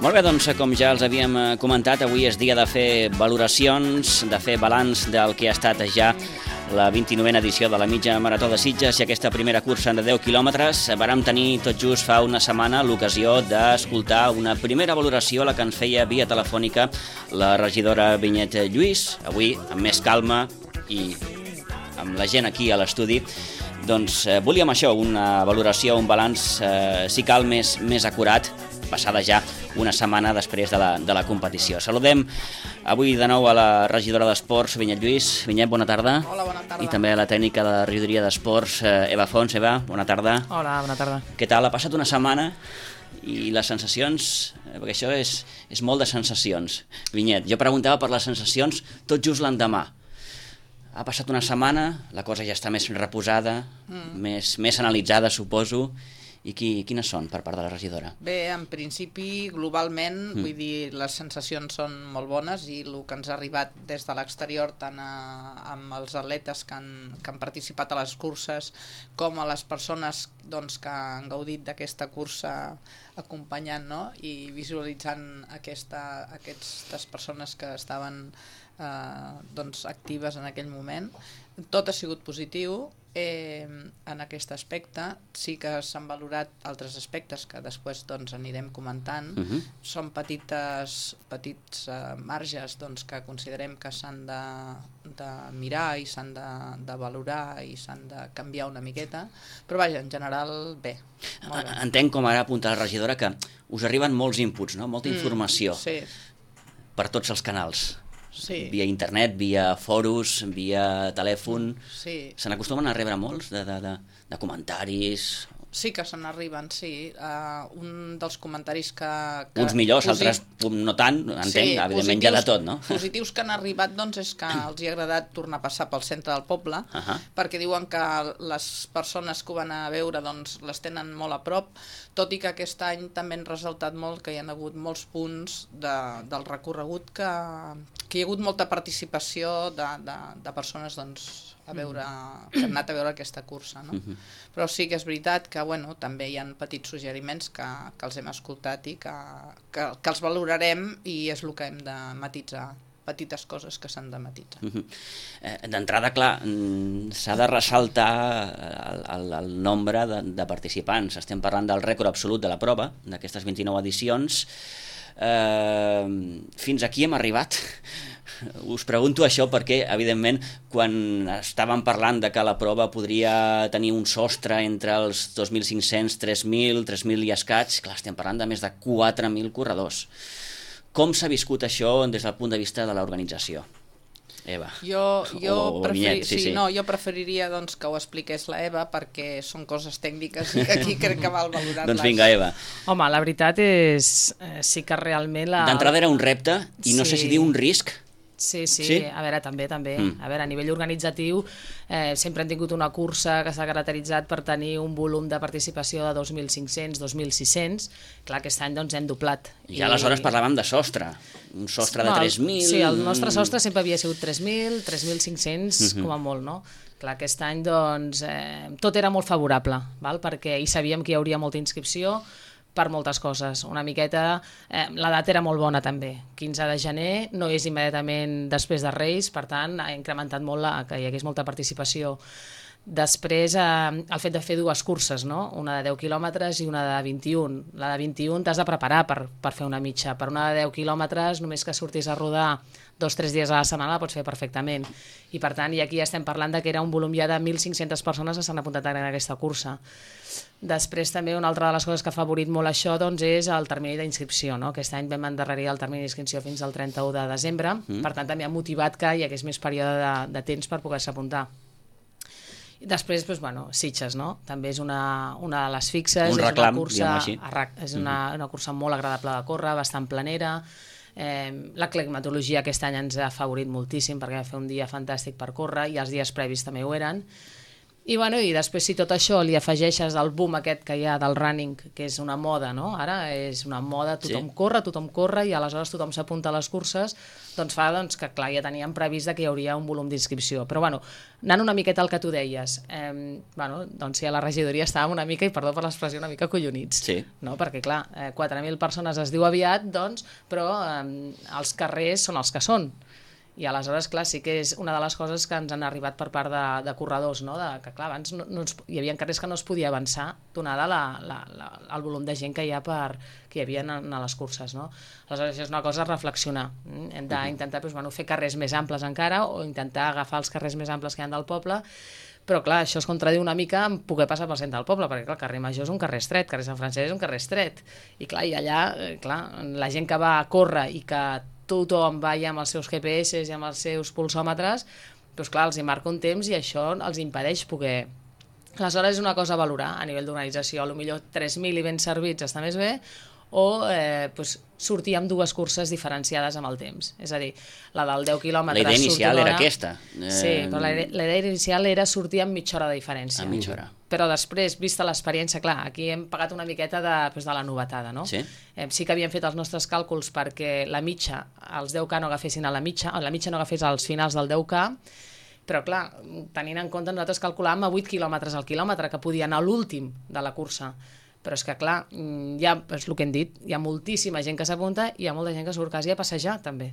Molt bé, doncs, com ja els havíem comentat, avui és dia de fer valoracions, de fer balanç del que ha estat ja la 29a edició de la mitja marató de Sitges i aquesta primera cursa de 10 quilòmetres. Vàrem tenir tot just fa una setmana l'ocasió d'escoltar una primera valoració, la que ens feia via telefònica la regidora Vinyet Lluís. Avui, amb més calma i amb la gent aquí a l'estudi, doncs volíem això, una valoració, un balanç, si cal, més acurat, passada ja una setmana després de la competició. Saludem avui de nou a la regidora d'Esports, Vinyet Lluís. Vinyet, bona tarda. Hola, bona tarda. I també a la tècnica de la regidoria d'Esports, Eva Fons. Eva, bona tarda. Hola, bona tarda. Què tal? Ha passat una setmana i les sensacions, perquè això és molt de sensacions. Vinyet, jo preguntava per les sensacions tot just l'endemà. Ha passat una setmana, la cosa ja està més reposada, més analitzada, suposo. I quines són per part de la regidora? Bé, en principi, globalment, vull dir, les sensacions són molt bones i el que ens ha arribat des de l'exterior, tant amb els atletes que han participat a les curses com a les persones doncs, que han gaudit d'aquesta cursa acompanyant, no? I visualitzant aquestes persones que estaven doncs, actives en aquell moment. Tot ha sigut positiu. En aquest aspecte sí que s'han valorat altres aspectes que després doncs, anirem comentant. Són petits marges doncs, que considerem que s'han de mirar i s'han de valorar i s'han de canviar una miqueta, però vaja, en general bé. Entenc, com ara apunta la regidora, que us arriben molts inputs, no? Molta informació per tots els canals. Sí. Via internet, via fòrums, via telèfon. Sí. Se n'acostumen a rebre molts de comentaris? Sí que se n'arriben, sí. Un dels comentaris que... Uns millors, altres no tant, entenc, evidentment hi ha de tot, no? Positius que han arribat, doncs, és que els hi ha agradat tornar a passar pel centre del poble, perquè diuen que les persones que ho van a veure, doncs, les tenen molt a prop, tot i que aquest any també han ressaltat molt que hi ha hagut molts punts del recorregut que hi ha hagut molta participació de persones, doncs, que han anat a veure aquesta cursa, no? Però sí que és veritat que també hi ha petits suggeriments que els hem escoltat i que els valorarem i és el que hem de matitzar, petites coses que s'han de matitzar. D'entrada, clar, s'ha de ressaltar el nombre de participants. Estem parlant del rècord absolut de la prova, d'aquestes 29 edicions. Fins aquí hem arribat. Us pregunto això perquè, evidentment, quan estàvem parlant de que la prova podria tenir un sostre entre els 2.500, 3.000, 3.000 i escaig, clar, estem parlant de més de 4.000 corredors. Com s'ha viscut això des del punt de vista de l'organització? Eva. Jo preferiria doncs, que ho expliqués la Eva perquè són coses tècniques i aquí crec que val valorar-les. Doncs vinga, Eva. Home, la veritat és sí que realment... D'entrada era un repte i no sé si dir un risc. Sí, a veure, també. A veure, a nivell organitzatiu sempre hem tingut una cursa que s'ha caracteritzat per tenir un volum de participació de 2.500, 2.600. Clar, aquest any doncs hem doblat. I aleshores parlàvem de sostre, un sostre de 3.000... Sí, el nostre sostre sempre havia sigut 3.000, 3.500 com a molt, no? Clar, aquest any doncs tot era molt favorable, perquè hi sabíem que hi hauria molta inscripció, per moltes coses. Una miqueta, la data era molt bona també. 15 de gener no és immediatament després de Reis, per tant ha incrementat molt que hi hagués molta participació. Després, el fet de fer dues curses, no? Una de 10 quilòmetres i una de 21. La de 21 t'has de preparar per fer una mitja. Per una de 10 quilòmetres, només que surtis a rodar 2 o 3 dies a la setmana la pots fer perfectament. I per tant, i aquí estem parlant que era un volum ja de 1.500 persones que s'han apuntat en aquesta cursa. Després també una altra de les coses que ha favorit molt això doncs, és el termini d'inscripció, no? Aquest any vam endarrerir el termini d'inscripció fins al 31 de desembre, per tant també ha motivat que hi hagués més període de temps per poder-se apuntar. I després, Sitges, no? També és una de les fixes. Un reclam, diguem-ho així. És una cursa molt agradable de córrer, bastant planera. La climatologia aquest any ens ha favorit moltíssim perquè va fer un dia fantàstic per córrer i els dies previs també ho eren. I després si tot això li afegeixes el boom aquest que hi ha del running, que és una moda, no? Ara és una moda, tothom corre i aleshores tothom s'apunta a les curses, doncs fa que clar, ja teníem previst que hi hauria un volum d'inscripció. Però anant una miqueta al que tu deies, doncs sí, a la regidoria estàvem una mica, i perdó per l'expressió, una mica collonits, no? Perquè clar, 4.000 persones es diu aviat, doncs, però els carrers són els que són. I aleshores, clar, sí que és una de les coses que ens han arribat per part de corredors, no? Que clar, abans hi havia carrers que no es podia avançar donada el volum de gent que hi havia a les curses, no? Aleshores, això és una cosa a reflexionar. Hem d'intentar fer carrers més amples encara, o intentar agafar els carrers més amples que hi ha del poble, però clar, això es contradiu una mica amb poder passar pel centre del poble, perquè clar, el carrer Major és un carrer estret, el carrer Sant Francesc és un carrer estret, i clar, i allà, la gent que va a córrer i que tothom va ja amb els seus GPS i amb els seus pulsòmetres, doncs clar, els hi marca un temps i això els impedeix poder... Aleshores és una cosa a valorar a nivell d'organització, potser 3.000 i ben servits està més bé, o sortir amb dues curses diferenciades amb el temps. És a dir, la del 10 quilòmetres... La idea inicial era aquesta. Sí, però la idea inicial era sortir amb mitja hora de diferència. A mitja hora. Però després, vista l'experiència, clar, aquí hem pagat una miqueta de la novetada, no? Sí. Sí que havíem fet els nostres càlculs perquè la mitja, els 10K no agafessin a la mitja no agafés als finals del 10K, però clar, tenint en compte, nosaltres calculàvem a 8 quilòmetres al quilòmetre, que podia anar a l'últim de la cursa. Però és que, clar, és el que hem dit, hi ha moltíssima gent que s'apunta i hi ha molta gent que surt quasi a passejar, també.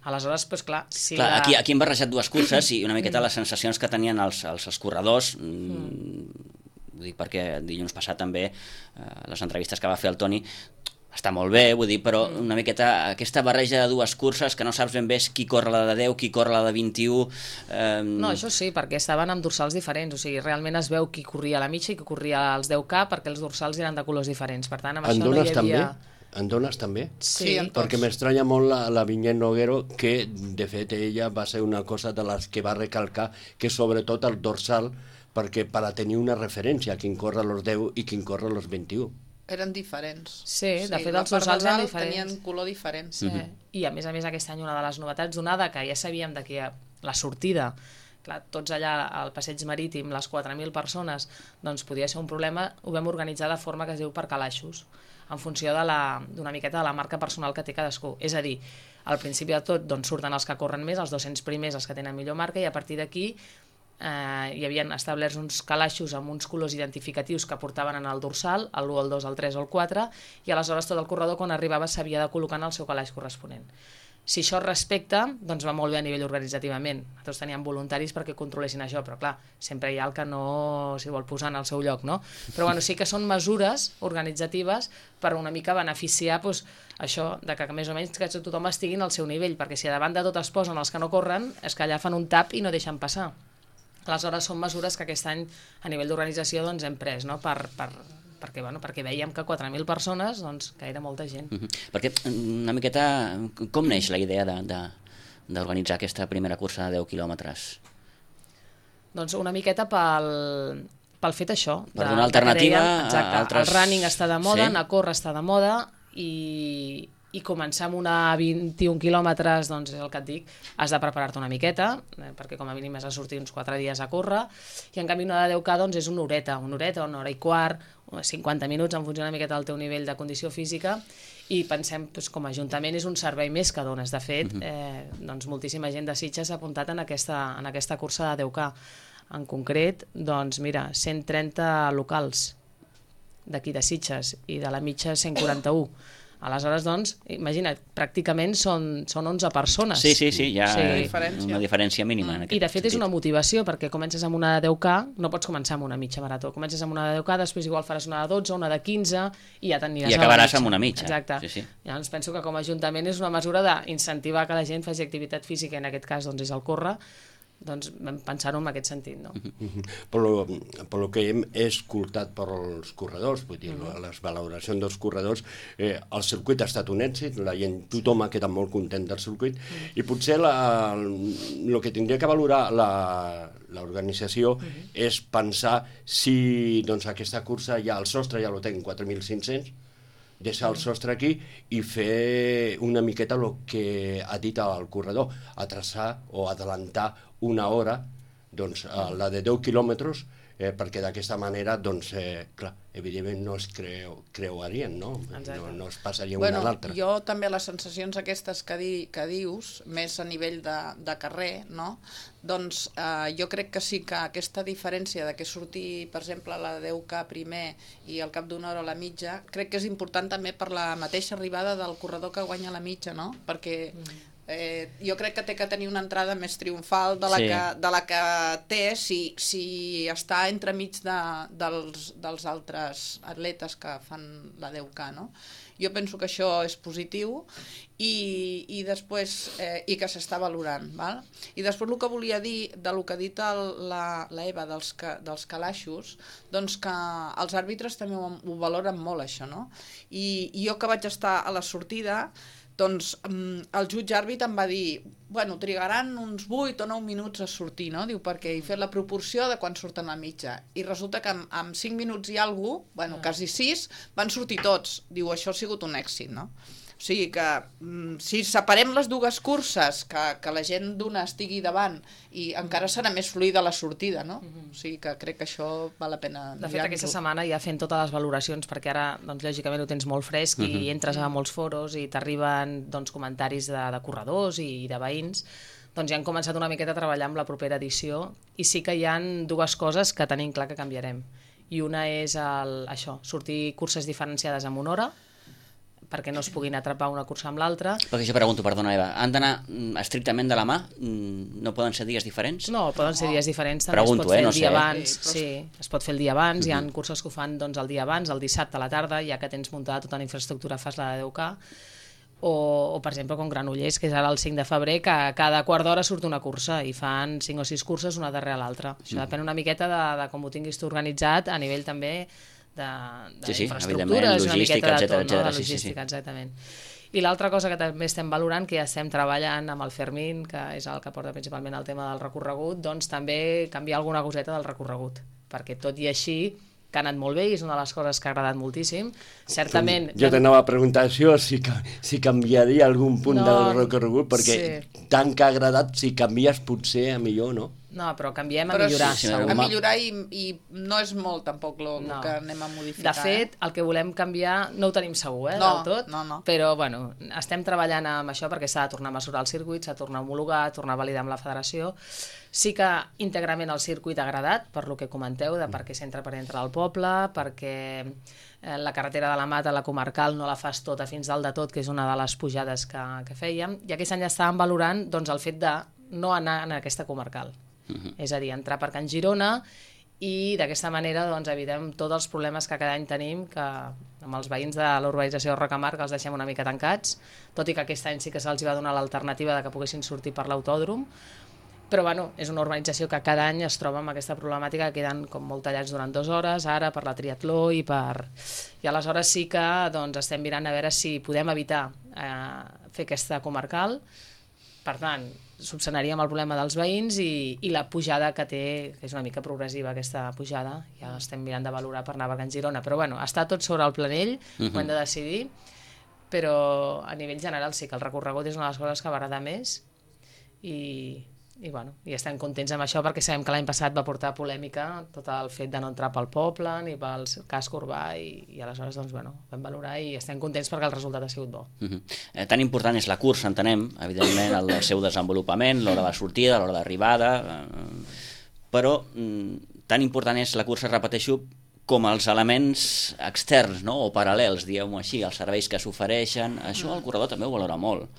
Aleshores, doncs clar... Si aquí hem barrejat dues curses i una miqueta les sensacions que tenien els corredors, ho dic perquè dilluns passat també les entrevistes que va fer el Toni, està molt bé, vull dir, però una miqueta aquesta barreja de dues curses que no saps ben bé qui corre la de 10, qui corre la de 21... No, això sí, perquè estaven amb dorsals diferents, o sigui, realment es veu qui corria a la mitja i qui corria als 10K perquè els dorsals eren de colors diferents, per tant, amb això no hi havia... En dones també? Sí, perquè m'estranya molt la Vinyet Noguero, que de fet ella va ser una cosa de les que va recalcar, que sobretot el dorsal, perquè per a tenir una referència, quin corre als 10 i quin corre als 21. Eren diferents. Sí, de fet els dorsals eren diferents. Tenien color diferent. Sí. I a més aquest any una de les novetats donada que ja sabíem que la sortida, clar, tots allà al passeig marítim, les 4.000 persones, doncs podia ser un problema, ho vam organitzar de forma que es diu per calaixos, en funció d'una miqueta de la marca personal que té cadascú. És a dir, al principi de tot doncs, surten els que corren més, els 200 primers, els que tenen millor marca, i a partir d'aquí hi havien establerts uns calaixos amb uns colors identificatius que portaven en el dorsal, l'1, el 2, el 3 o el 4, i aleshores tot el corredor quan arribava s'havia de col·locar en el seu calaix corresponent. Si això es respecta, doncs va molt bé a nivell organitzativament. Nosaltres teníem voluntaris perquè controlessin això, però clar, sempre hi ha el que no s'hi vol posar en el seu lloc, no? Però bueno, sí que són mesures organitzatives per una mica beneficiar això, que més o menys que tothom estigui al seu nivell, perquè si a davant de tot es posen els que no corren, és que allà fan un tap i no deixen passar. Aleshores són mesures que aquest any a nivell d'organització doncs, hem pres, no? Perquè veiem que 4.000 persones, doncs, que era molta gent. Perquè una miqueta, com neix la idea d'organitzar aquesta primera cursa de 10 quilòmetres? Doncs una miqueta pel fet això. Per donar alternativa a altres... El running està de moda, anar a córrer està de moda, i començar amb una 21 quilòmetres, doncs és el que et dic, has de preparar-te una miqueta, perquè com a mínim has de sortir uns 4 dies a córrer, i en canvi una de 10K doncs és una horeta, una hora i quart, 50 minuts, en funció una miqueta del teu nivell de condició física, i pensem, com a Ajuntament és un servei més que dones. De fet, doncs moltíssima gent de Sitges s'ha apuntat en aquesta cursa de 10K. En concret, doncs mira, 130 locals d'aquí de Sitges i de la mitja 141. Aleshores, doncs, imagina't, pràcticament són 11 persones. Sí, hi ha una diferència mínima. I de fet és una motivació, perquè comences amb una de 10K, no pots començar amb una mitja marató. Comences amb una de 10K, després igual faràs una de 12, una de 15, i ja t'aniràs a la mitja. I acabaràs amb una mitja. Exacte. Sí. Llavors penso que com a Ajuntament és una mesura d'incentivar que la gent faci activitat física, i en aquest cas doncs, és el córrer, doncs vam pensar-ho en aquest sentit, no? Per lo que hem escoltat per als corredors, vull dir, les valoracions dels corredors, el circuit ha estat un èxit, la gent, tothom ha quedat molt content del circuit, i potser el que tindria que valorar l'organització és pensar si doncs, aquesta cursa ja el sostre ja lo tenen 4.500, deixar el sostre aquí i fer una miqueta el que ha dit el corredor, atrasar o adelantar una hora, doncs la de 10 quilòmetres perquè d'aquesta manera, doncs, clar, evidentment no es creuarien, no? No es passarien una a l'altra. Jo també les sensacions aquestes que dius, més a nivell de carrer, no? Doncs jo crec que sí que aquesta diferència de que surti, per exemple, la 10K primer i al cap d'una hora a la mitja, crec que és important també per la mateixa arribada del corredor que guanya la mitja, no? Perquè jo crec que té que tenir una entrada més triomfal de la que té si està entremig dels altres atletes que fan la 10K, no? Jo penso que això és positiu i després i que s'està valorant, val? I després el que volia dir del que ha dit l'Eva dels calaixos, doncs que els àrbitres també ho valoren molt, això, no? I jo que vaig estar a la sortida, doncs el jutge àrbitre em va dir, bueno, trigaran uns 8 o 9 minuts a sortir, no? Diu, perquè he fet la proporció de quan surten a mitja. I resulta que en 5 minuts i alguna cosa, bueno, quasi 6, van sortir tots. Diu, això ha sigut un èxit, no? O sigui que si separem les dues curses, que la gent d'una estigui davant, i encara serà més fluida la sortida, no? O sigui que crec que això val la pena mirar-ho. De fet, aquesta setmana ja fent totes les valoracions, perquè ara, doncs, lògicament ho tens molt fresc i entres a molts foros i t'arriben, doncs, comentaris de corredors i de veïns, doncs ja han començat una miqueta a treballar amb la propera edició i sí que hi ha dues coses que tenim clar que canviarem. I una és això, sortir curses diferenciades amb una hora, perquè no es puguin atrapar una cursa amb l'altra. Perquè jo pregunto, perdona Eva, han d'anar estrictament de la mà? No poden ser dies diferents? No, poden ser dies diferents, també pregunto, es pot fer el dia sé. abans, sí, es pot fer el dia abans, hi ha curses que ho fan doncs, el dia abans, el dissabte a la tarda, ja que tens muntada tota la infraestructura, fas la de 10K, o per exemple com Granollers, que és ara el 5 de febrer, que cada quart d'hora surt una cursa i fan 5 o 6 curses una darrere l'altra. Això depèn una miqueta de com ho tinguis tu organitzat a nivell també d'infraestructures, una miqueta de tot, de logística, exactament. I l'altra cosa que també estem valorant, que ja estem treballant amb el Fermín, que és el que porta principalment el tema del recorregut, doncs també canviar alguna coseta del recorregut, perquè tot i així que ha anat molt bé i és una de les coses que ha agradat moltíssim. Certament... Jo t'anava a preguntar això, si canviaria algun punt del recorregut, perquè tant que ha agradat, si canvies potser a millor, no? No, però canviem a millorar, segur. A millorar i no és molt tampoc el que anem a modificar. De fet, el que volem canviar no ho tenim segur, del tot, però bueno, estem treballant amb això perquè s'ha de tornar a mesurar el circuit, s'ha de tornar a homologar, tornar a validar amb la federació. Sí que íntegrament el circuit ha agradat, per lo que comenteu, de per què s'entra per dintre del poble, perquè la carretera de la Mata, la comarcal, no la fas tota fins dalt de tot, que és una de les pujades que fèiem, i aquest any estàvem valorant doncs, el fet de no anar en aquesta comarcal. És a dir, entrar per Can Girona i d'aquesta manera doncs, evitem tots els problemes que cada any tenim que amb els veïns de l'urbanització de Rocamar que els deixem una mica tancats, tot i que aquest any sí que se'ls va donar l'alternativa de que poguessin sortir per l'autòdrom, però bueno, és una urbanització que cada any es troba amb aquesta problemàtica que queden com molt tallats durant 2 hores, ara per la triatló i aleshores sí que doncs, estem mirant a veure si podem evitar fer aquesta comarcal. Per tant, subsanaríem el problema dels veïns i la pujada que té, que és una mica progressiva aquesta pujada, ja estem mirant de valorar per anar a Can Girona, però bueno, està tot sobre el planell, ho hem de decidir, però a nivell general sí que el recorregut és una de les coses que va agradar més i bueno, i estem contents amb això perquè sabem que l'any passat va portar polèmica tot el fet de no entrar pel poble ni pel casc urbà i aleshores doncs, bueno, vam valorar i estem contents perquè el resultat ha sigut bo. Tan important és la cursa, entenem, evidentment, el seu desenvolupament, l'hora de sortida, l'hora d'arribada, però tan important és la cursa, repeteixo, com els elements externs, no? O paral·lels, diguem-ho així, els serveis que s'ofereixen, això el corredor també ho valora molt.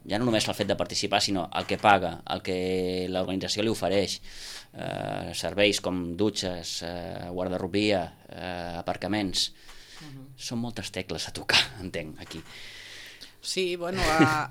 Ja no només el fet de participar, sinó el que paga, el que l'organització li ofereix, serveis com dutxes, guardarropia, aparcaments. Són moltes tecles a tocar, entenc, aquí. Sí, bueno,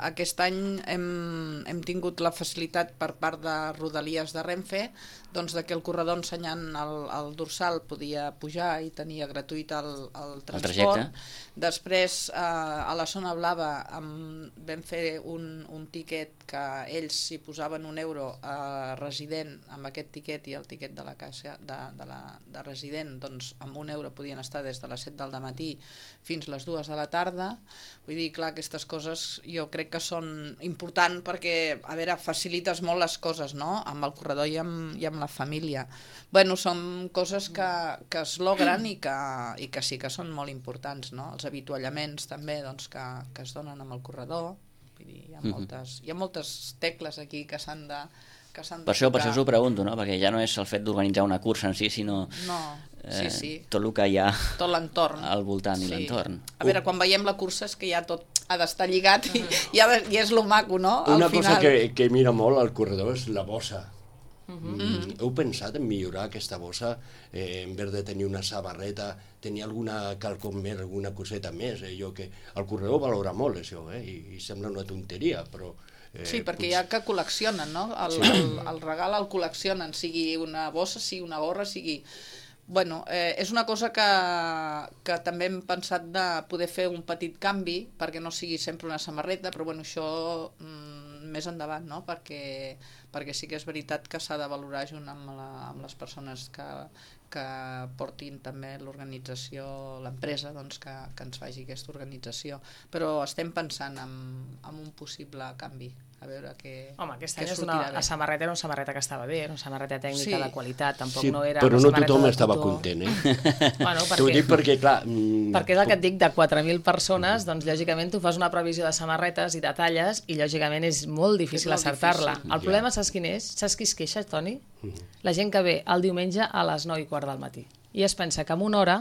aquest any hem tingut la facilitat per part de Rodalies de Renfe doncs que el corredor ensenyant el dorsal podia pujar i tenia gratuït el transport. Després, a la zona blava vam fer un tiquet que ells s'hi posaven €1 a resident amb aquest tiquet i el tiquet de la caixa de resident, doncs amb €1 podien estar des de les 7 del matí fins les 2 de la tarda. Vull dir, clar, aquestes aquestes coses jo crec que són importants perquè, a veure, facilites molt les coses, no?, amb el corredor i amb la família. Bueno, són coses que es logren i que sí que són molt importants, no? Els avituallaments també, doncs, que es donen amb el corredor. Vull dir, hi ha moltes tecles aquí que s'han de per això us ho pregunto, no? Perquè ja no és el fet d'organitzar una cursa en si, sinó tot el que hi ha tot l'entorn al voltant i l'entorn. A veure, quan veiem la cursa és que ja tot ha d'estar lligat i és lo maco, no? Una cosa que mira molt al corredor és la bossa. Heu pensat en millorar aquesta bossa, en vez de tenir una samarreta, tenir alguna quelcom més, alguna coseta més? El corredor valora molt això, i sembla una tonteria, però... Sí, perquè hi ha que col·leccionen, no? El regal el col·leccionen, sigui una bossa, sigui una gorra, sigui... Bueno, és una cosa que també hem pensat de poder fer un petit canvi perquè no sigui sempre una samarreta, però bueno, això més endavant, no? Perquè sí que és veritat que s'ha de valorar junt amb les persones que portin també l'organització, l'empresa, doncs que ens faci aquesta organització. Però estem pensant en un possible canvi. A veure què... Home, aquest any la samarreta era una samarreta que estava bé, era una samarreta tècnica de qualitat, tampoc no era però una no tothom estava content, Bueno, t'ho dic perquè, clar... Perquè és el que et dic, de 4.000 persones, doncs lògicament tu fas una previsió de samarretes i de talles i lògicament és molt difícil acertar-la. El problema, saps quin és? Saps qui es queixa, Toni? La gent que ve el diumenge a les 9:15 del matí i es pensa que en una hora,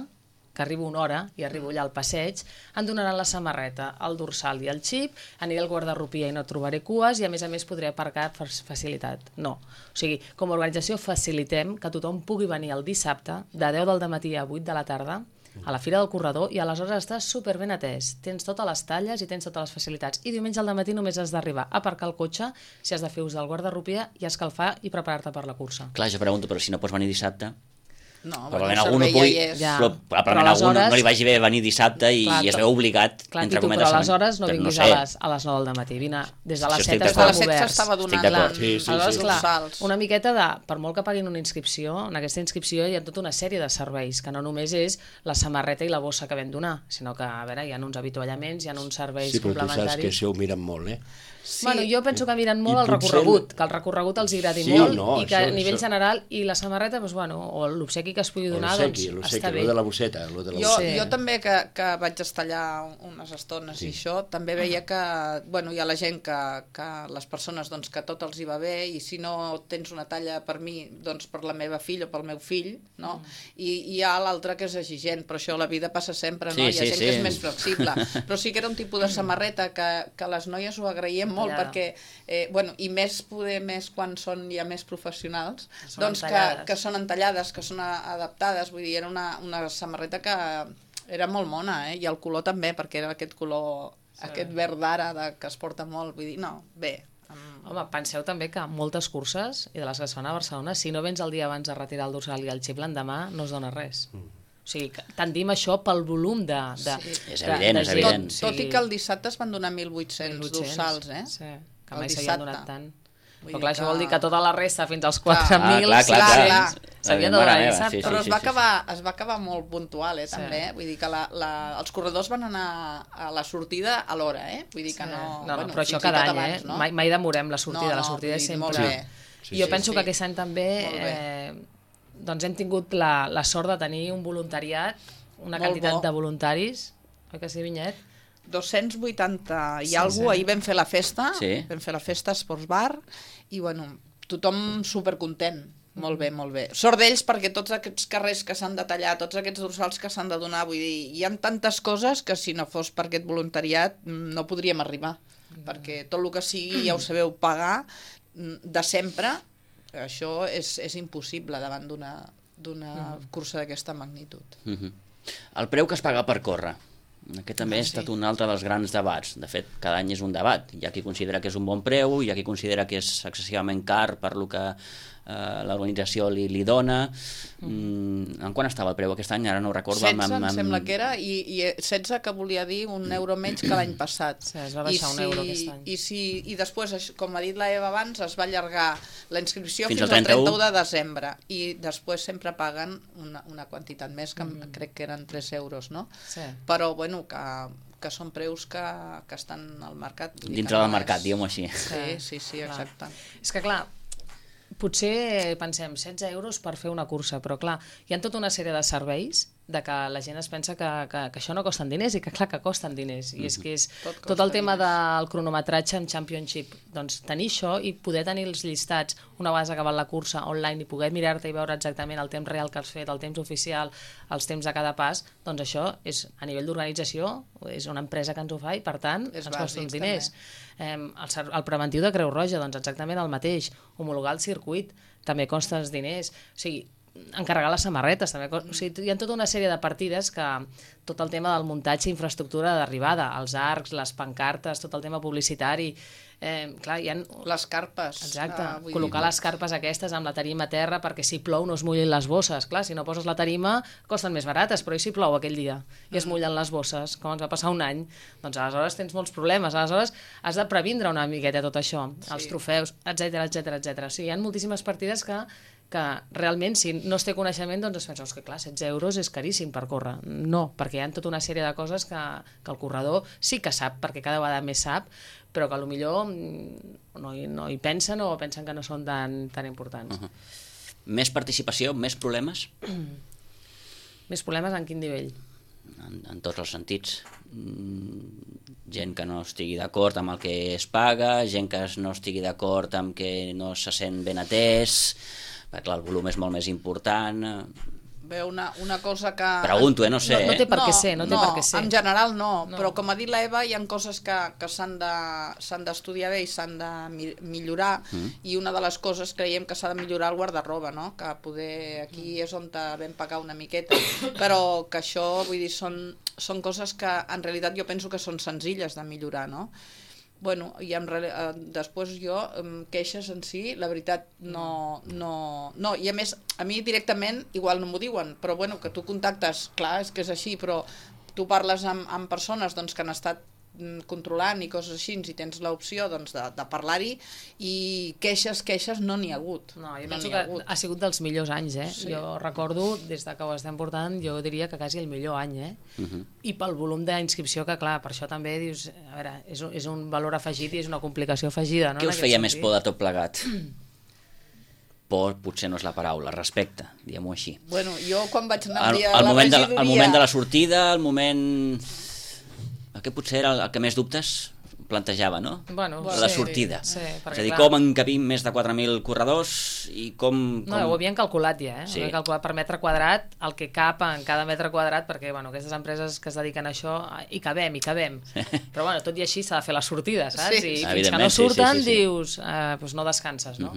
que arribo una hora i arribo allà al passeig, em donaran la samarreta, el dorsal i el xip, aniré al guardarropia i no trobaré cues i a més podré aparcar per facilitat. No. O sigui, com a organització facilitem que tothom pugui venir el dissabte de 10 del matí a 8 de la tarda a la Fira del Corredor i aleshores estàs superben atès. Tens totes les talles i tens totes les facilitats. I diumenge al matí només has d'arribar a aparcar el cotxe si has de fer ús del guardarropia i escalfar i preparar-te per la cursa. Clar, jo pregunto, però si no pots venir dissabte... No, probablement algú no pugui, però probablement algú no li vagi bé venir dissabte i es veu obligat, entre cometes. Però aleshores no vinguis a les 9 del matí, vine des de les 7 estàvem oberts. Des de les 7 s'estava donant aleshores, clar, una miqueta de, per molt que paguin una inscripció, en aquesta inscripció hi ha tota una sèrie de serveis, que no només és la samarreta i la bossa que vam donar, sinó que, a veure, hi ha uns avituallaments, hi ha uns serveis complementaris. Sí, però tu saps que això ho miren molt, Sí. Bueno, jo penso que miren molt el recorregut, que el recorregut els agradi molt i que a nivell general, i la samarreta, doncs, bueno, o l'obsequi que es pugui donar, doncs està bé. Lo de la bosseta. Jo també que vaig estar allà unes estones i això, també veia que, bueno, hi ha la gent que les persones, doncs, que tot els hi va bé i si no tens una talla per mi, doncs per la meva filla o pel meu fill, no? I hi ha l'altre que és exigent, però això la vida passa sempre, no? Hi ha gent que és més flexible. Però sí que era un tipus de samarreta que les noies ho agraïen molt perquè, bueno, i més quan són ja més professionals, doncs que són entallades, que són adaptades, vull dir, era una samarreta que era molt mona, i el color també, perquè era aquest color, aquest verd d'ara que es porta molt, vull dir, no, bé. Home, penseu també que moltes curses, i de les que es fan a Barcelona, si no vens el dia abans a retirar el dorsal i el xip l'endemà, no es dona res. O sigui, tendim això pel volum de... És evident. Tot i que el dissabte es van donar 1.800 dorsals, Sí, que mai s'havien donat tant. Però clar, això vol dir que tota la resta, fins als 4.000, s'havia de donar dissabte. Però es va acabar molt puntual, també. Vull dir que els corredors van anar a la sortida a l'hora, vull dir que no... No, però això cada any, mai demorem la sortida és sempre... Jo penso que aquest any també... Doncs hem tingut la sort de tenir un voluntariat, una quantitat de voluntaris, oi que sí, Vinyet? 280 i alguna cosa, ahir vam fer la festa, a Sports Bar, i bueno, tothom supercontent, molt bé, molt bé. Sort d'ells perquè tots aquests carrers que s'han de tallar, tots aquests dorsals que s'han de donar, vull dir, hi ha tantes coses que si no fos per aquest voluntariat no podríem arribar, perquè tot el que sigui, ja ho sabeu, pagar de sempre, això és impossible davant d'una cursa d'aquesta magnitud. El preu que es paga per córrer, aquest també ha estat un altre dels grans debats. De fet, cada any és un debat. Hi ha qui considera que és un bon preu, hi ha qui considera que és excessivament car per lo que l'organització li dona. En quant estava el preu aquest any? Ara no ho recordo. 16 em sembla que era, i 16 que volia dir €1 menys que l'any passat. Sí, es va baixar €1 aquest any. I després, com ha dit la Eva abans, es va allargar la inscripció fins al 31 de desembre, i després sempre paguen una quantitat més, que crec que eren €3, no? Sí. Però, bueno, que són preus que estan al mercat. Dintre del mercat, diguem-ho així. Sí, exacte. És que clar, potser pensem 16 euros per fer una cursa, però clar, hi ha tota una sèrie de serveis de que la gent es pensa que això no costen diners i que clar que costen diners i és que és tot el tema del cronometratge en Championship, doncs tenir això i poder tenir els llistats una vegada acabat la cursa online i poder mirar-te i veure exactament el temps real que has fet, el temps oficial, els temps de cada pas, doncs això és a nivell d'organització, és una empresa que ens ho fa i per tant ens costa uns diners. El preventiu de Creu Roja, doncs exactament el mateix, homologar el circuit també costa els diners, o sigui, encarregar les samarretes també. O sigui, hi ha tota una sèrie de partides que tot el tema del muntatge i infraestructura d'arribada, els arcs, les pancartes, tot el tema publicitari, clar, hi ha... Les carpes. Exacte, col·locar les carpes aquestes amb la tarima a terra perquè si plou no es mullin les bosses. Clar, si no poses la tarima costen més barates, però i si plou aquell dia i es mullen les bosses, com ens va passar un any, doncs aleshores tens molts problemes, aleshores has de previndre una miqueta tot això, els trofeus, etc. O sigui, hi ha moltíssimes partides que realment, si no es té coneixement, doncs es pensa que clar, 16 euros és caríssim per córrer. No, perquè hi ha tota una sèrie de coses que el corredor sí que sap, perquè cada vegada més sap, però que potser no hi pensen o pensen que no són tan importants. Més participació, més problemes? Més problemes en quin nivell? En tots els sentits. Gent que no estigui d'acord amb el que es paga, gent que no estigui d'acord amb que no se sent ben atès, perquè clar, el volum és molt més important. Bé, una cosa que... Pregunto, no sé. No té per què ser, no té per què ser. En general no, però com ha dit l'Eva, hi ha coses que s'han d'estudiar bé i s'han de millorar, i una de les coses creiem que s'ha de millorar el guardarroba, no? Que poder aquí és on vam pagar una miqueta, però que això, vull dir, són coses que en realitat jo penso que són senzilles de millorar, no? Bueno, i després jo, queixes en si, la veritat, no, i a més, a mi directament, igual no m'ho diuen, però bueno, que tu contactes, clar, és que és així, però tu parles amb persones doncs, que han estat controlant i coses així, i tens l'opció doncs, de parlar-hi, i queixes no n'hi ha hagut. No, jo penso que ha sigut dels millors anys, Sí. Jo recordo, des que ho estem portant, jo diria que quasi el millor any, I pel volum d'inscripció, que clar, per això també dius, a veure, és un valor afegit i és una complicació afegida. No? Què us feia més por de tot plegat? Por potser no és la paraula, respecte, diguem-ho així. Bueno, jo quan vaig anar a la regidoria... El moment de la sortida, el moment... que potser era el que més dubtes plantejava, no? Bueno, la sortida. Sí, és a dir, com encabim més de 4.000 corredors i com... No, ho havien calculat ja, Sí. Ho havien calculat per metre quadrat, el que cap en cada metre quadrat, perquè bueno, aquestes empreses que es dediquen a això, hi cabem. Però bueno, tot i així s'ha de fer la sortida, saps? Sí. I fins que no surten dius, doncs no descanses, no?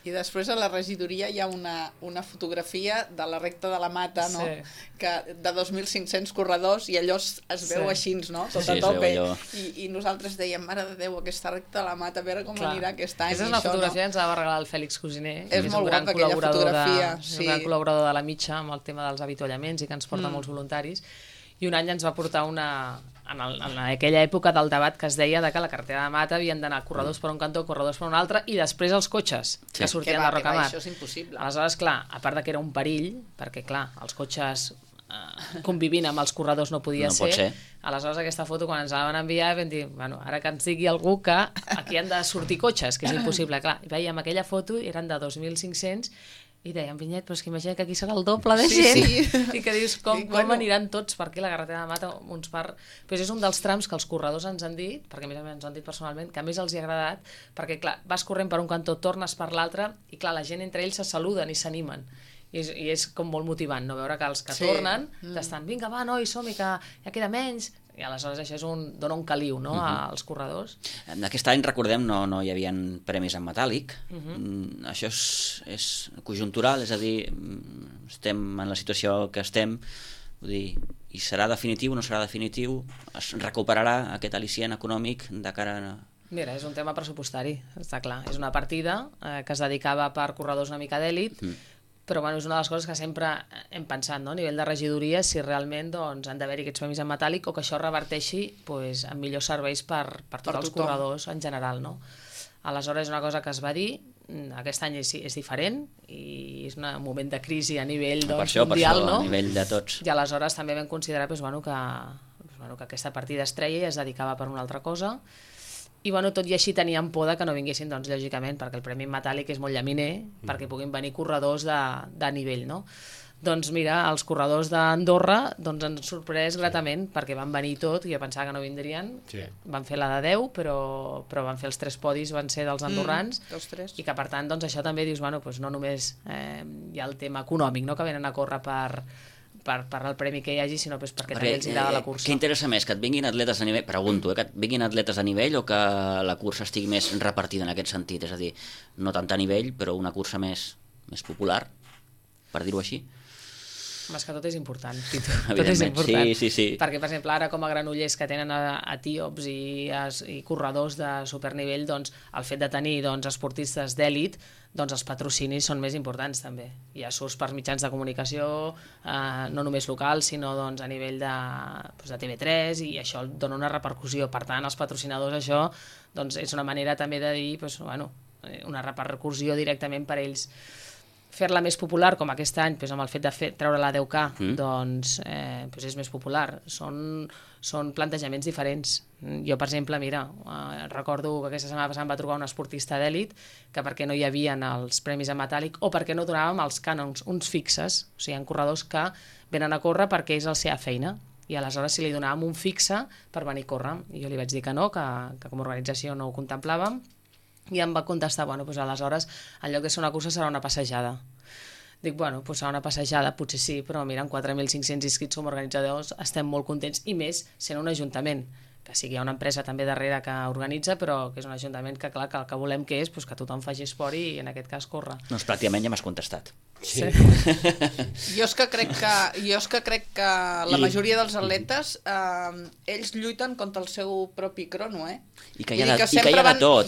I després a la regidoria hi ha una fotografia de la recta de la Mata, no? Que de 2.500 corredors, i allò es veu així, no? Tot a tope. I nosaltres dèiem, mare de Déu, aquesta recta de la Mata, a veure com anirà aquest any. Aquesta és una fotografia que ens va regalar el Fèlix Cosiner, és molt guapa aquella fotografia. És un gran col·laborador de la Mitja amb el tema dels avituallaments i que ens porta molts voluntaris. I un any ens va portar en aquella època del debat que es deia que la carretera de Mata havien d'anar corredors per un cantó, corredors per un altre, i després els cotxes que sortien de Rocamar. Això és impossible. Aleshores, clar, a part que era un perill, perquè clar, els cotxes convivint amb els corredors no podia ser. Aleshores aquesta foto quan ens la van enviar vam dir, bueno, ara que ens digui algú que aquí han de sortir cotxes, que és impossible. Clar, veiem aquella foto, eren de 2.500, i dèiem, Vinyet, però és que imagina que aquí serà el doble de gent. I que dius, com aniran tots? Perquè la carretera de Mata, Però és un dels trams que els corredors ens han dit, perquè a més ens han dit personalment, que a més els hi ha agradat, perquè clar, vas corrent per un cantó, tornes per l'altre, i clar, la gent entre ells se saluden i s'animen. I és com molt motivant, no? Veure que els que tornen t'estan, vinga, va, noi, som-hi, que ja queda menys. I aleshores això dona un caliu, no?, als corredors. Aquest any, recordem, no hi havia premis en metàl·lic. Això és conjuntural, és a dir, estem en la situació que estem, vull dir, i serà definitiu o no serà definitiu? Es recuperarà aquest al·licient econòmic de cara a... Mira, és un tema pressupostari, està clar. És una partida que es dedicava per corredors una mica d'èlit, però bueno, és una de les coses que sempre hem pensat, no? A nivell de regidoria, si realment doncs, han d'haver-hi aquests premis en metàl·lic o que això reverteixi doncs, en millors serveis per tots els corredors en general, no? Aleshores és una cosa que es va dir, aquest any és diferent i és un moment de crisi a nivell mundial, no? A nivell de tots. I aleshores també vam considerar que que aquesta partida es treia i es dedicava per una altra cosa. I tot i així teníem por que no vinguessin, doncs, lògicament, perquè el Premi Metàl·lic és molt llaminer, perquè puguin venir corredors de nivell, no? Doncs mira, els corredors d'Andorra ens han sorprès gratament, perquè van venir tot, i jo pensava que no vindrien, van fer la de 10, però van fer els 3 podis, van ser dels andorrans, i que per tant, doncs això també dius, no només hi ha el tema econòmic, no?, que venen a córrer per el premi que hi hagi, sinó perquè també els agrada la cursa. Què interessa més, que et vinguin atletes a nivell, pregunto, que et vinguin atletes a nivell o que la cursa estigui més repartida en aquest sentit? És a dir, no tant a nivell, però una cursa més popular, per dir-ho així? És que tot és important, Tito. Tot és important. Sí. Perquè, per exemple, ara com a Granollers, que tenen etíops i corredors de supernivell, doncs el fet de tenir esportistes d'èlit, doncs els patrocinis són més importants també. Ja surts per mitjans de comunicació, no només locals, sinó a nivell de TV3, i això dona una repercussió. Per tant, els patrocinadors, això és una manera també de dir una repercussió directament per ells. Fer-la més popular, com aquest any, amb el fet de treure la 10K, doncs és més popular. Són plantejaments diferents. Jo, per exemple, recordo que aquesta setmana passada em va trobar un esportista d'èlit que perquè no hi havia els premis en metàl·lic o perquè no donàvem els cànons, uns fixes. O sigui, hi ha corredors que venen a córrer perquè és la seva feina, i aleshores si li donàvem un fixe per venir a córrer. I jo li vaig dir que no, que com a organització no ho contemplàvem, i em va contestar, aleshores, en lloc de ser una cursa serà una passejada. Dic, serà una passejada, potser sí, però mira, amb 4.500 inscrits com a organitzadors estem molt contents, i més sent un ajuntament, que sí que hi ha una empresa també darrere que organitza, però que és un ajuntament que, clar, que el que volem que és que tothom faci esport i, en aquest cas, córrer. Doncs pràcticament ja m'has contestat. Sí. Jo és que crec que la majoria dels atletes ells lluiten contra el seu propi crono, I que hi ha de tot.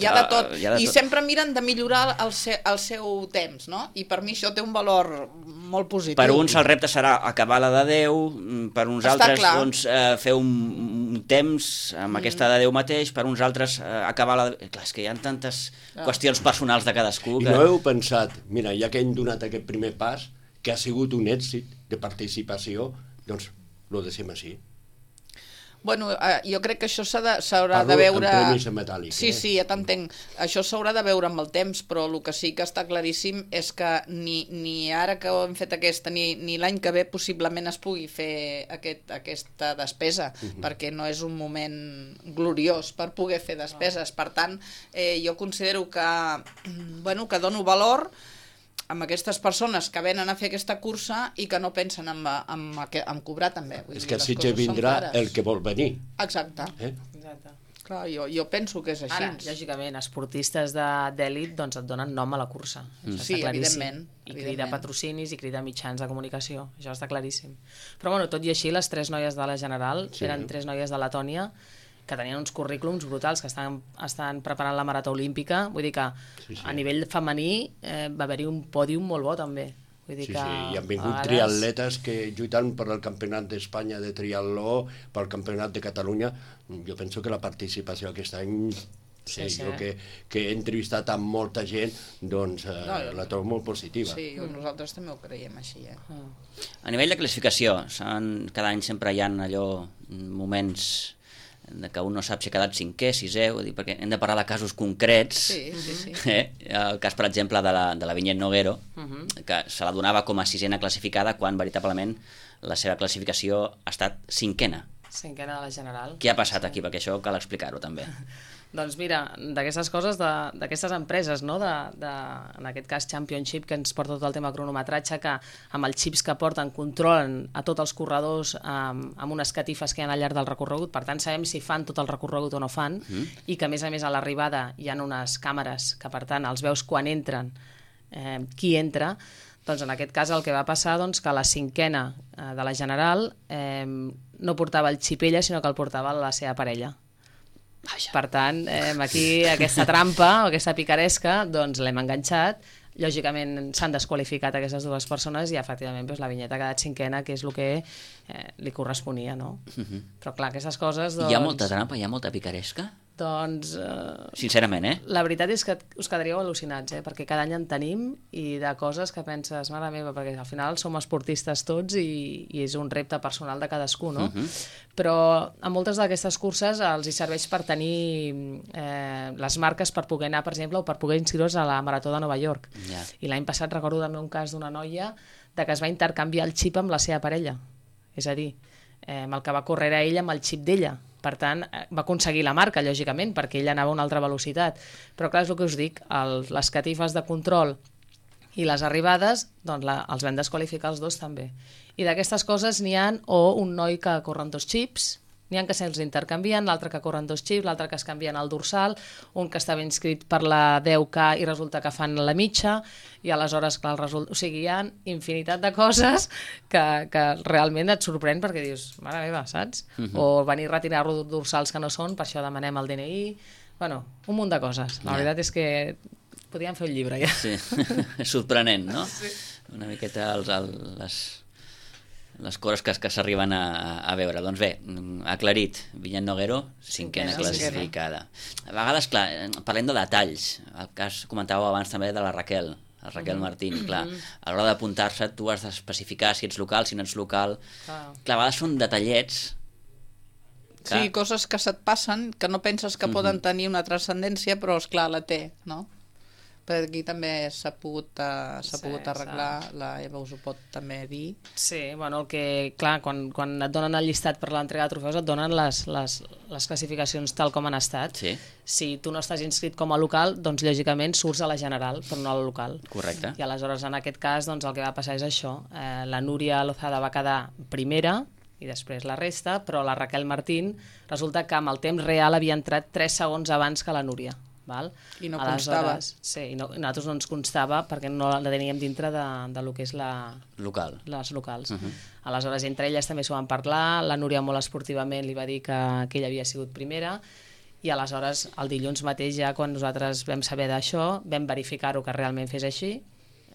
I sempre miren de millorar el seu temps, no? I per mi això té un valor molt positiu. Per uns el repte serà acabar la de 10, per uns altres fer un temps amb aquesta de 10 mateix, per uns altres acabar la de... Clar, és que hi ha tantes qüestions personals de cadascú. I no heu pensat, mira, ja que hem donat aquest primer pas, que ha sigut un èxit de participació, doncs ho deixem així. Jo crec que això s'haurà de veure... Parlo en premis metàl·lics. Sí, ja t'entenc. Això s'haurà de veure amb el temps, però el que sí que està claríssim és que ni ara que hem fet aquesta, ni l'any que ve possiblement es pugui fer aquesta despesa, perquè no és un moment gloriós per poder fer despeses. Per tant, jo considero que dono valor amb aquestes persones que venen a fer aquesta cursa i que no pensen en cobrar també. És que a Sitges vindrà el que vol venir. Exacte. Clar, jo penso que és així. Ara, lògicament, esportistes d'èlit et donen nom a la cursa. Sí, evidentment. I crida patrocinis i crida mitjans de comunicació. Això està claríssim. Però tot i així, les 3 noies de la General eren 3 noies de Letònia que tenien uns currículums brutals, que estan preparant la marató olímpica. Vull dir que a nivell femení va haver-hi un pòdium molt bo també. I han vingut triatletes que lluitant per el Campionat d'Espanya de triatló, pel Campionat de Catalunya. Jo penso que la participació aquest any, jo que he entrevistat amb molta gent, doncs la trobo molt positiva. Sí, nosaltres també ho creiem així. A nivell de classificació, cada any sempre hi ha moments que un no sap si ha quedat 5è, 6è, perquè hem de parlar de casos concrets. Sí. El cas, per exemple, de la Vinyet Noguero, que se la donava com a 6ena classificada quan veritablement la seva classificació ha estat 5ena. 5ena de la General. Què ha passat aquí? Perquè això cal explicar-ho també. Doncs mira, d'aquestes coses, d'aquestes empreses, no? En aquest cas Championship, que ens porta tot el tema cronometratge, que amb els xips que porten controlen a tots els corredors amb unes catifes que hi ha al llarg del recorregut, per tant sabem si fan tot el recorregut o no fan, i que a més a l'arribada hi ha unes càmeres que per tant els veus quan entren, qui entra. Doncs en aquest cas el que va passar que la 5ena de la General no portava el xip ella, sinó que el portava la seva parella. Per tant, aquí aquesta trampa o aquesta picaresca doncs l'hem enganxat. Lògicament s'han desqualificat aquestes 2 persones i efectivament la Vinyeta ha quedat 5ena, que és el que li corresponia, no? Però clar, aquestes coses... Hi ha molta trampa, hi ha molta picaresca? Doncs... Sincerament, La veritat és que us quedaríeu al·lucinats, perquè cada any en tenim i de coses que penses, mare meva, perquè al final som esportistes tots i és un repte personal de cadascú, no? Però a moltes d'aquestes curses els hi serveix per tenir les marques per poder anar, per exemple, o per poder inscriure's a la Marató de Nova York. I l'any passat recordo també un cas d'una noia de que es va intercanviar el xip amb la seva parella. És a dir, amb el que va córrer a ella amb el xip d'ella. Per tant, va aconseguir la marca, lògicament, perquè ella anava a una altra velocitat. Però clar, és el que us dic, les catifes de control i les arribades, doncs els vam desqualificar els dos també. I d'aquestes coses n'hi ha o un noi que corre amb 2 xips, n'hi ha que se'ls intercanvien, l'altre que corren 2 xips, l'altre que es canvien el dorsal, un que estava inscrit per la 10K i resulta que fan la mitja, i aleshores, clar, o sigui, hi ha infinitat de coses que realment et sorprèn perquè dius, mare meva, saps? O venir a retirar dorsals que no són, per això demanem el DNI, bueno, un munt de coses. La veritat és que podríem fer un llibre ja. Sí, sorprenent, no? Sí. Una miqueta les coses que s'arriben a veure. Doncs bé, aclarit, Vinyet Noguero, 5a classificada. A vegades, clar, parlem de detalls. El cas comentàveu abans també de la Raquel Martín. Clar, a l'hora d'apuntar-se tu has d'especificar si ets local, si no ets local. Clar, a vegades són detallets. Sí, coses que se't passen, que no penses que poden tenir una transcendència, però, esclar, la té, no? Per aquí també s'ha pogut arreglar, la Eva us ho pot també dir. Sí, bueno, clar, quan et donen el llistat per l'entrega de trofeus et donen les classificacions tal com han estat. Sí. Si tu no estàs inscrit com a local, doncs lògicament surts a la general, però no a la local. Correcte. I aleshores en aquest cas doncs, el que va passar és això. La Núria Lozada va quedar primera i després la resta, però la Raquel Martín resulta que amb el temps real havia entrat 3 segons abans que la Núria. Val? I no constava. Sí, i nosaltres no ens constava perquè no la teníem dintre del que és les locals. Aleshores, entre elles també s'ho van parlar, la Núria molt esportivament li va dir que ella havia sigut primera, i aleshores el dilluns mateix ja quan nosaltres vam saber d'això vam verificar-ho que realment fes així.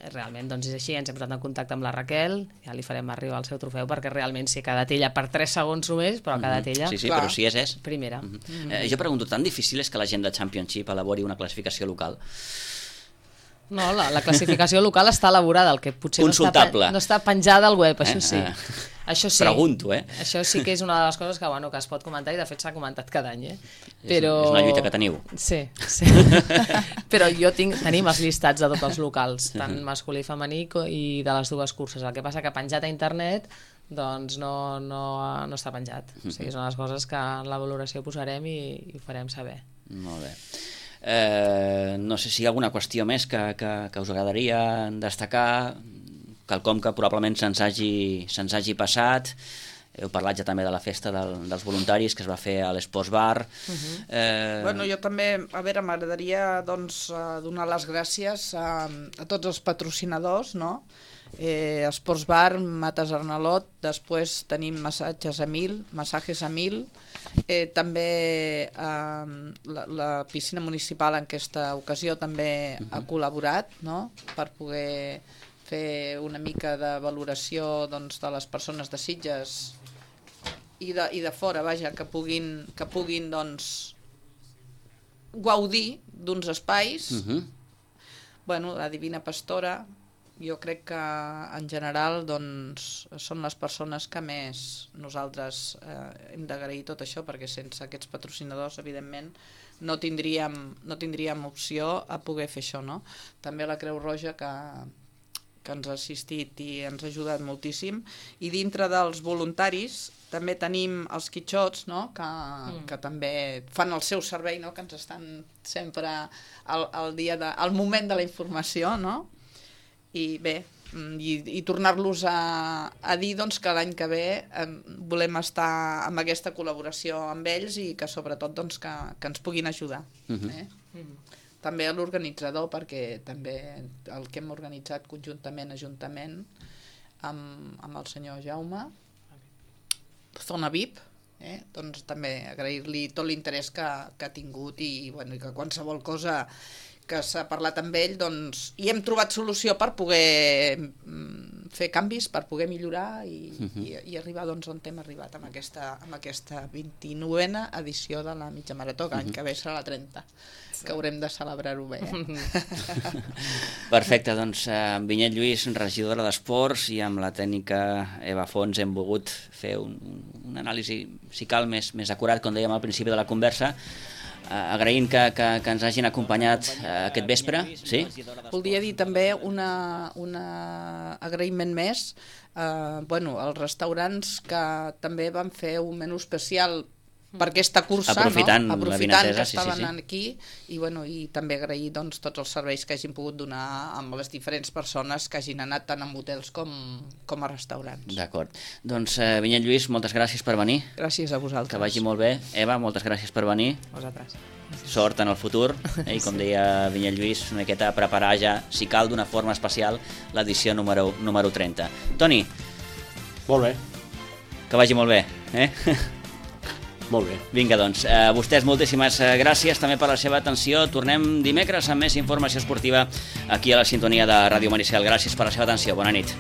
Realment doncs és així, ens hem posat en contacte amb la Raquel, ja li farem arribar el seu trofeu perquè realment sí, ha quedat ella per 3 segons només, però ha quedat ella sí, però si és primera. Jo pregunto, tan difícil és que la gent de Championship elabori una classificació local? No, la classificació local està elaborada, el que potser no està penjada al web, això sí. Això sí. Pregunto, Això sí que és una de les coses que es pot comentar i de fet s'ha comentat cada any, Però... És una lluita que teniu. Sí. Però tenim els llistats de tots els locals, tant masculí i femení i de les dues curses. El que passa que penjat a internet doncs no està penjat. O sigui, és una de les coses que en la valoració posarem i ho farem saber. Molt bé. No sé si hi ha alguna qüestió més que us agradaria destacar, quelcom que probablement se'ns hagi passat. Heu parlat ja també de la festa dels voluntaris que es va fer a l'Esports Bar. Bueno, jo també, m'agradaria donar les gràcies a tots els patrocinadors, no? Esports Bar, Mates Arnalot, després tenim Massatges a 1000, també la piscina municipal en aquesta ocasió també ha col·laborat, no? Per poder fer una mica de valoració de les persones de Sitges i de fora, vaja, que puguin gaudir d'uns espais. Bueno, la Divina Pastora, jo crec que en general són les persones que més nosaltres hem d'agrair tot això, perquè sense aquests patrocinadors evidentment no tindríem opció a poder fer això, no? També la Creu Roja que ens ha assistit i ens ha ajudat moltíssim, i dintre dels voluntaris també tenim els quitxots, no? Que també fan el seu servei, no? Que ens estan sempre al moment de la informació, no? I bé, i tornar-los a dir que l'any que ve volem estar amb aquesta col·laboració amb ells i que sobretot que ens puguin ajudar. També a l'organitzador, perquè també el que hem organitzat conjuntament, ajuntament, amb el senyor Jaume, Zona VIP, doncs també agrair-li tot l'interès que ha tingut i que qualsevol cosa que s'ha parlat amb ell, doncs, i hem trobat solució per poder fer canvis per poder millorar i arribar doncs, on hem arribat amb aquesta 29a edició de la mitja marató, que l'any que ve serà la 30, que haurem de celebrar-ho bé. Perfecte, doncs amb Vinyet Lluís, regidora d'Esports, i amb la tècnica Eva Fons hem volgut fer un anàlisi, si cal, més acurat, com dèiem al principi de la conversa, agraint que ens hagin acompanyat aquest vespre. Sí? Voldria dir també un agraïment més als restaurants que també van fer un menú especial per aquesta cursa, aprofitant no? Aprofitant que estaven aquí, i també agrair doncs, tots els serveis que hagin pogut donar amb les diferents persones que hagin anat tant en hotels com a restaurants. D'acord. Doncs Vinyet Lluís, moltes gràcies per venir. Gràcies a vosaltres. Que vagi molt bé. Eva, moltes gràcies per venir. Vosaltres. Sort en el futur, i com deia Vinyet Lluís, una miqueta a preparar ja, si cal, d'una forma especial, l'edició número 30. Toni. Molt bé. Que vagi molt bé. Molt bé. Vinga, doncs, a vostès moltíssimes gràcies també per la seva atenció. Tornem dimecres amb més informació esportiva aquí a la sintonia de Ràdio Maricel. Gràcies per la seva atenció. Bona nit.